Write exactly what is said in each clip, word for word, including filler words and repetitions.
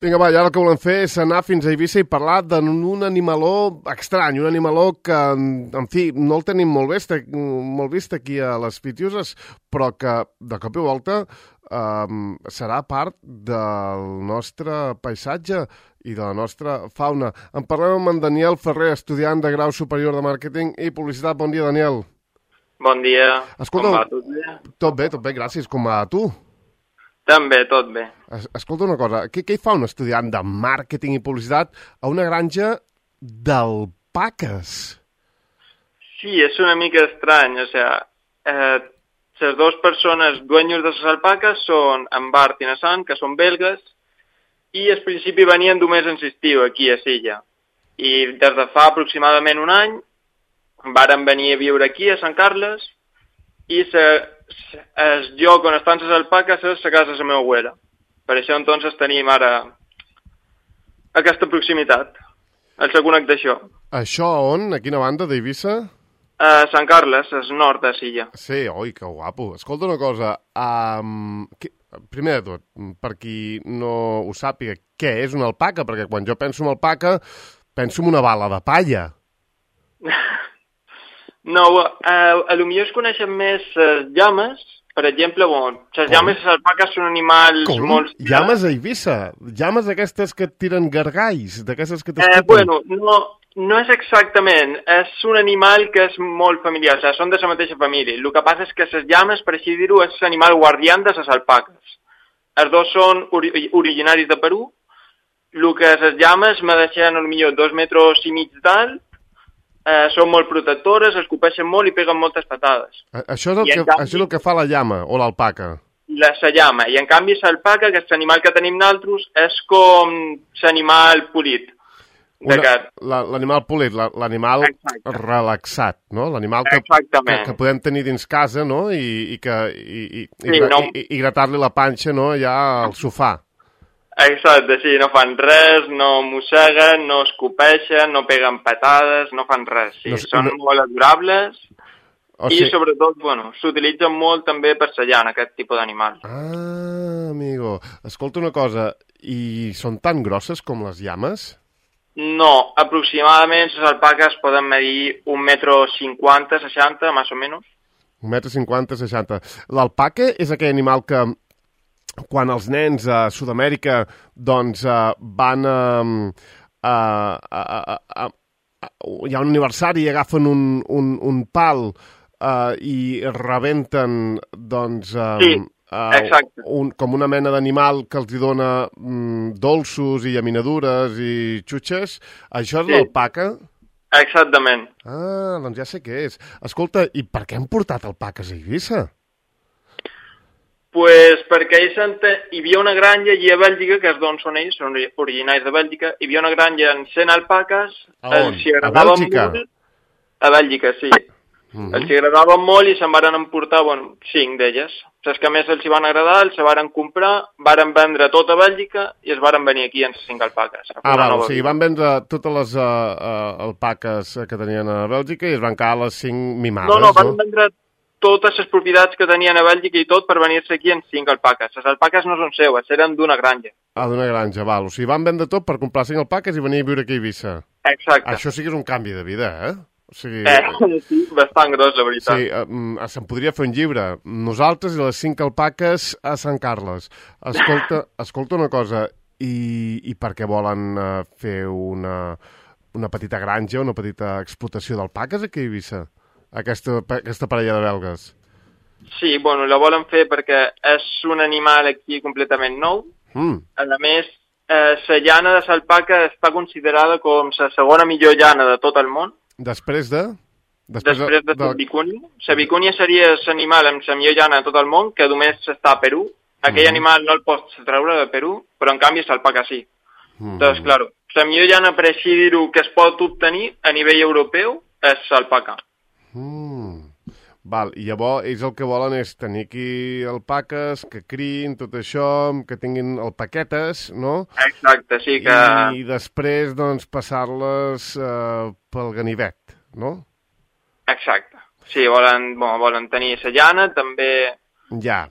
Vinga, va, i ara el que volem fer és anar fins a Eivissa i parlar d'un animaló estrany, un animaló que, en fi, no el tenim molt vist, molt vist aquí a les Pitiuses, però que, de cop i volta, eh, serà part del nostre paisatge i de la nostra fauna. En parlem amb en Daniel Ferrer, estudiant de grau superior de màrqueting i publicitat. Bon dia, Daniel. Bon dia. Escolta, com va? Tot bé? Tot bé, tot bé, gràcies. Com va a tu? També, tot bé. Es Escolta una cosa, què, què hi fa un estudiant de màrqueting i publicitat a una granja d'alpaques? Sí, és una mica estrany, o sea, eh, les dues persones dueños de les alpaques són en Bart i en Sam, que són belgues, i al principi venien només en estiu aquí a Silla. I des de fa aproximadament un any varen venir a viure aquí, a Sant Carles, i se, se, el lloc on estan les alpaques és la casa de la meva abuela. Per això, entonces, tenim ara aquesta proximitat, el segon d'això. Això on? A quina banda d'Eivissa? A Sant Carles, és nord de Silla. Sí, oi, que guapo. Escolta una cosa, um, que, primer de tot, per qui no ho sàpiga, què és una alpaca? Perquè quan jo penso en alpaca, penso en una bala de palla. No, eh, a lo millor es coneixen més les llames. Per exemple, bon, les llames i les alpaques són animals Com? molt... Llames a Eivissa? Llames d'aquestes que et tiren gargalls? D'aquestes que t'escupen? Eh, bueno, no, no és exactament. És un animal que és molt familiar, o sigui, són de la mateixa família. El que passa és que les llames, per així dir-ho, és l'animal guardián de les alpaques. Els dos són ori originaris de Perú. El que les llames medeixen potser dos metres i mig d'alt. Eh, són molt protectores, es copeixen molt i peguen moltes patades. A Això és, el que, canvi, això és el que fa la llama o l'alpaca? La, la llama. I en canvi l'alpaca, que és l'animal que tenim nosaltres, és com l'animal polit. L'animal polit, l'animal relaxat, no? L'animal que, que, que podem tenir dins casa, no? I, i, que, i, i, sí, i, no. i, i gratar-li la panxa, no? Allà al sofà. Exacte, sí, no fan res, no mosseguen, no escopeixen, no peguen patades, no fan res, sí, no, són no... molt adorables o sigui... i sobretot, bueno, s'utilitzen molt també per la llana, aquest tipus d'animal. Ah, amigo, escolta una cosa, i són tan grosses com les llames? No, aproximadament les alpaques poden medir un metro cinquanta, seixanta, més o menys. Un metro cinquanta, seixanta. L'alpaca és aquell animal que quan els nens a Sud-amèrica doncs uh, van a, a, a, a, a, a... hi ha un aniversari i agafen un, un, un pal uh, i rebenten doncs uh, sí, uh, un, com una mena d'animal que els hi dona um, dolços i llaminadures i xutxes. Això és sí. L'alpaca? Exactament. Ah, doncs ja sé què és. Escolta, i per què han portat alpaques a Eivissa? Pues perquè ells ente... hi havia una granja allí a Bèlgica, que és d'on són ells, són originaris de Bèlgica, hi havia una granja amb cent alpaques. A on? A Bèlgica? Molt... A Bèlgica, sí. Uh -huh. Els agradaven molt i se'n van emportar, bueno, cinc d'elles. Les que més els hi van agradar, els van comprar, varen vendre tot a Bèlgica i es varen venir aquí amb cinc alpaques. Ah, val, o sigui, van vendre totes les uh, uh, alpaques que tenien a Bèlgica i es van quedar les cinc mimades, no? No, no, van vendre totes les propietats que tenien a Bèlgica i tot per venir-se aquí en cinc alpaques. Les alpaques no són seues, eren d'una granja. Ah, d'una granja, val. O sigui, van vendre tot per comprar cinc alpaques i venir a viure aquí a Eivissa. Exacte. Això sí que és un canvi de vida, eh? O sigui... Eh, sí, bastant gros, la veritat. Sí, uh, se'n podria fer un llibre. Nosaltres i les cinc alpaques a Sant Carles. Escolta, escolta una cosa, i, i per què volen uh, fer una, una petita granja, una petita explotació d'alpaques aquí a Eivissa? Aquesta, aquesta parella de belgues. Sí, bueno, la volen fer perquè és un animal aquí completament nou. Mm. A més, eh, la llana de l'alpaca està considerada com la segona millor llana de tot el món. Després de? Després, Després de, de la vicúnia. La vicúnia seria l'animal amb la millor llana de tot el món, que només està a Perú. Aquell mm. animal no el pots treure de Perú, però en canvi l'alpaca sí. Mm. Doncs, clar, la millor llana, per així dir-ho, que es pot obtenir a nivell europeu és l'alpaca. Mm. Val, i llavors ells el que volen és tenir aquí alpaques, que criïn, tot això, que tinguin alpaquetes, no? Exacte, sí que... I després, doncs, passar-les eh, pel ganivet, no? Exacte. Sí, volen, bon, volen tenir la llana, també... Ja.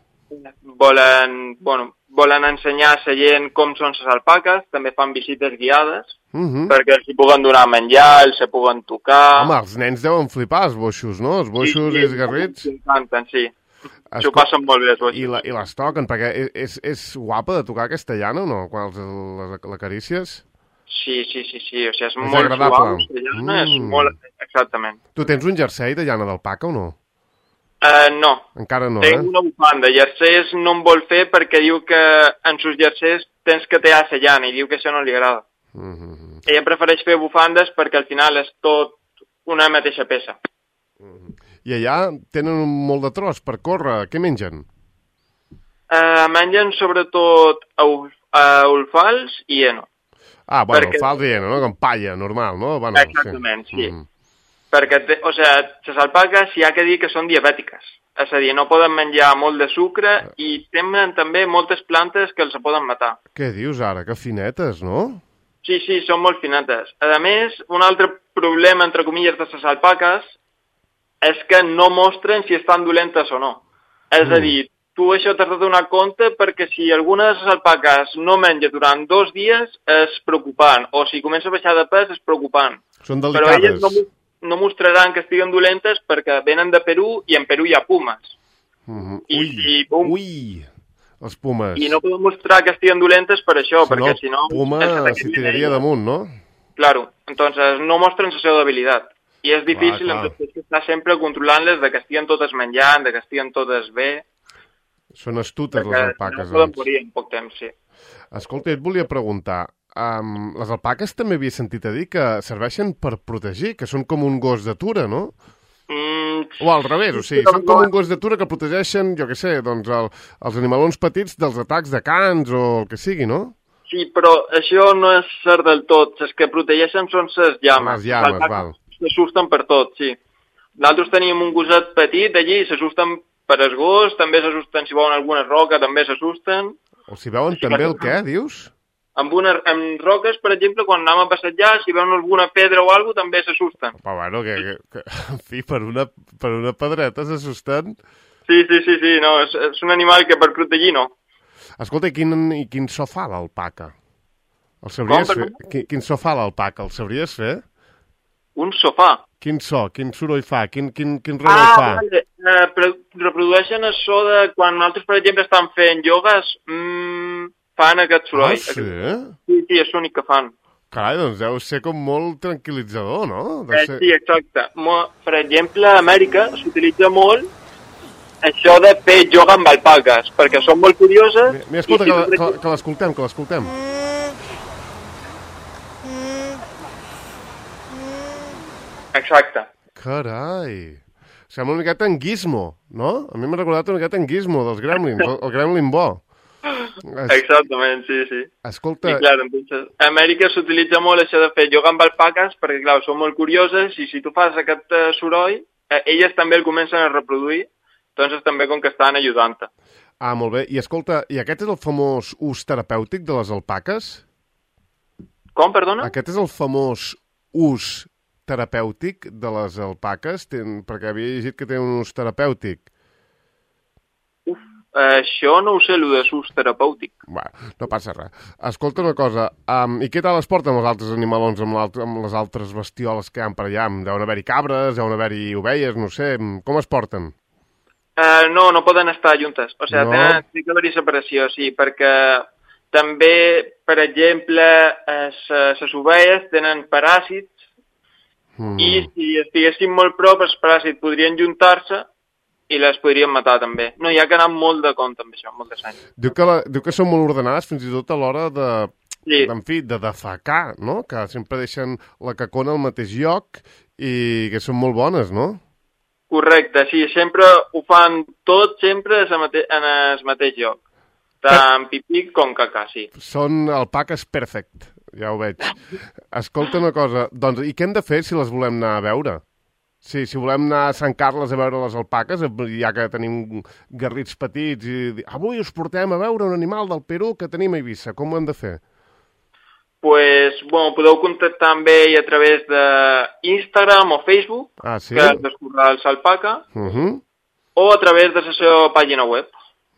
volen, bueno, volen ensenyar a la gent com són les alpaques, també fan visites guiades, Uh -huh. perquè els hi puguen donar menjar, els hi puguen tocar... Home, els nens deuen flipar, els boixos, no? Els boixos sí, sí, i els garrits. Sí, encanten, sí. Es... S'ho passen molt bé, els boixos. I, la, I les toquen, perquè és, és, és guapa de tocar aquesta llana o no? Quan els, les, l'acarícies? Sí, sí, sí, sí, o sigui, és, és molt agradable. suau, la llana, mm. és molt... Exactament. Tu tens un jersei de llana d'alpaca o no? Uh, no. Encara no, Tenc eh? una bufanda. Jerseis no em vol fer perquè diu que en sus jerseis tens que tallar la llana i diu que això no li agrada. Mm -hmm. Ella prefereix fer bufandes perquè al final és tot una mateixa peça. Mm -hmm. I allà tenen molt de tros per córrer. Què mengen? Uh, mengen sobretot ulfals i heno. Ah, bueno, perquè... ulfals i heno, no? Com palla, normal, no? Bueno, exactament, sí. sí. Mm -hmm. Perquè, te, o sigui, les alpaques hi ha que dir que són diabètiques. És a dir, no poden menjar molt de sucre i tenen també moltes plantes que els poden matar. Què dius ara? Que finetes, no? Sí, sí, són molt finetes. A més, un altre problema, entre comilles, de les alpaques és que no mostren si estan dolentes o no. És mm. a dir, tu això t'has de donar compte perquè si alguna de les alpaques no menja durant dos dies és preocupant, o si comença a baixar de pes és preocupant. Són delicades. Però elles no, no mostraran que estiguen dolentes perquè venen de Perú i en Perú hi ha pumes. Mm-hmm. I, ui, i, bum, ui, els pumes. I no poden mostrar que estiguen dolentes per això, si perquè no, si no... puma s'hi tiraria damunt, no? Claro, entonces no mostren la seva debilitat. I és difícil clar, clar. Entonces, estar sempre controlant-les de que estiguen totes menjant, de que estiguen totes bé. Són astutes les alpaques. No poden morir en poc temps, sí. Escolta, et volia preguntar, um, les alpaques també havia sentit a dir que serveixen per protegir, que són com un gos d'atura, no? Mm, o al revés, o sigui, són com un gos d'atura que protegeixen, jo què sé, doncs el, els animalons petits dels atacs de cans o el que sigui, no? Sí, però això no és cert del tot. Les que protegeixen són les llames. Les llames, val. S'assusten per tot, sí. Nosaltres teníem un gosset petit allí, s'assusten per el gos, també s'assusten si veuen alguna roca, també s'assusten. O si veuen sí, també el què, dius? Amb, una, amb roques, per exemple, quan anem a passejar, si veuen alguna pedra o alguna cosa, també s'assusten. Però bueno, que, que, que, en fi, per una, per una pedreta s'assusten. Sí, sí, sí, sí, no, és, és un animal que per protegir no. Escolta, i quin, i quin so fa l'alpaca? El sabries Com, fer? Quin, quin so fa l'alpaca? El sabries fer? Un sofà. Quin so? Quin soroll fa? Quin, quin, quin renou ah, fa? Vale. Uh, reprodueixen el so de quan nosaltres, per exemple, estan fent iogues, mm, fan aquest soroll. Ah, sí? Sí, sí, és l'únic que fan. Carai, doncs deu ser com molt tranquil·litzador, no? Eh, ser... Sí, exacte. Mo, per exemple, a Amèrica s'utilitza molt això de fer ioga amb alpaques, perquè són molt curioses... Mira, mira escolta, que, que, que l'escoltem, que l'escoltem. Exacte. Carai. Sembla una miqueta en Gizmo, no? A mi m'ha recordat una miqueta en Gizmo, dels Gremlins, el, el Gremlin bo. Es... Exactament, sí, sí. Escolta... I clar, entonces, a Amèrica s'utilitza molt això de fer ioga amb alpaques perquè, clar, són molt curioses i si tu fas aquest uh, soroll, eh, elles també el comencen a reproduir, entonces també com que estan ajudant-te. Ah, molt bé. I escolta, i aquest és el famós ús terapèutic de les alpaques? Com, perdona? Aquest és el famós ús terapèutic de les alpaques? Ten... Perquè havia llegit que té un ús terapèutic. Uf, eh, això no ho sé, el de ús terapèutic. Bé, no passa res. Escolta una cosa, um, i què tal es porten els altres animalons amb, amb les altres bestioles que hi ha per allà? Deuen haver-hi cabres, deuen haver-hi ovelles, no sé, com es porten? Uh, no, no poden estar juntes. O sigui, no. tenen, té que haver-hi separació, sí, perquè també, per exemple, les ovelles tenen paràsits mm. i si estiguessin molt prop, els paràsits podrien juntar-se i les podrien matar també. No, hi ha que anar molt de compte amb això, molt de seny. Diu que, la, diu que són molt ordenades fins i tot a l'hora de, sí. en fi, de defecar, no? Que sempre deixen la cacona al mateix lloc i que són molt bones, no? Correcte, sí, sempre ho fan tot sempre en el mateix lloc. Tant pipí com cacà, sí. Són alpaques perfect, ja ho veig. Escolta una cosa, doncs, i què hem de fer si les volem anar a veure? Sí, si volem anar a Sant Carles a veure les alpaques, ja que tenim garrits petits, i avui us portem a veure un animal del Perú que tenim a Eivissa, com ho hem de fer? Pues, bueno, podeu contactar amb ell a través d'Instagram o Facebook, ah, sí? que és d'Escurrar el Alpaca, uh -huh. o a través de la seva pàgina web.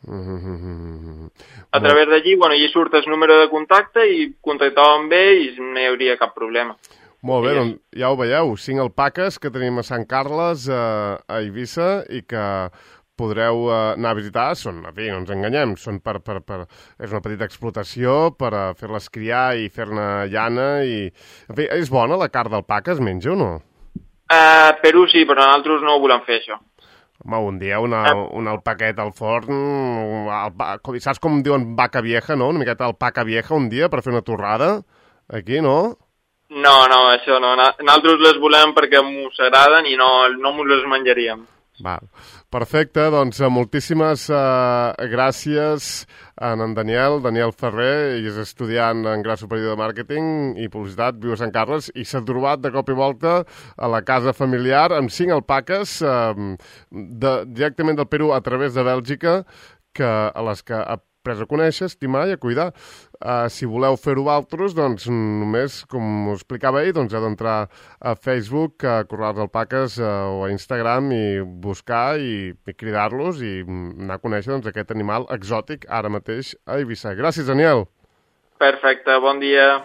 Mm-hmm. A través d'allí, bueno, allí surt el número de contacte i contacteu amb ell i no hi hauria cap problema. Molt bé, doncs ja ho veieu, cinc alpaques que tenim a Sant Carles, a, a Eivissa, i que podreu uh, anar a visitar. Són, en fi, no ens enganyem, són per, per, per, és una petita explotació per uh, fer-les criar i fer-ne llana. I... En fi, és bona la carn d'alpaca, es menja o no? Uh, Perú sí, però nosaltres no ho volem fer, això. Home, un dia una, una alpaquet al forn, alpa, saps com diuen vaca vieja, no? Una miqueta alpaca vieja un dia per fer una torrada, aquí, no? No, no, això no. Nosaltres les volem perquè mos agraden i no, no mos les menjaríem. Va. Perfecte, doncs moltíssimes uh, gràcies a en Daniel, Daniel Ferrer, i és estudiant en grau superior de màrqueting i publicitat, viu a Sant Carles, i s'ha trobat de cop i volta a la casa familiar amb cinc alpaques uh, de, directament del Perú a través de Bèlgica, que, a les que ha pres a conèixer, estimar i a cuidar. Uh, si voleu fer-ho altres, doncs només, com us explicava ell, doncs heu d'entrar a Facebook, a Corrals d'Alpaques uh, o a Instagram i buscar i, i cridar-los i anar a conèixer doncs, aquest animal exòtic ara mateix a Eivissa. Gràcies, Daniel. Perfecte, bon dia.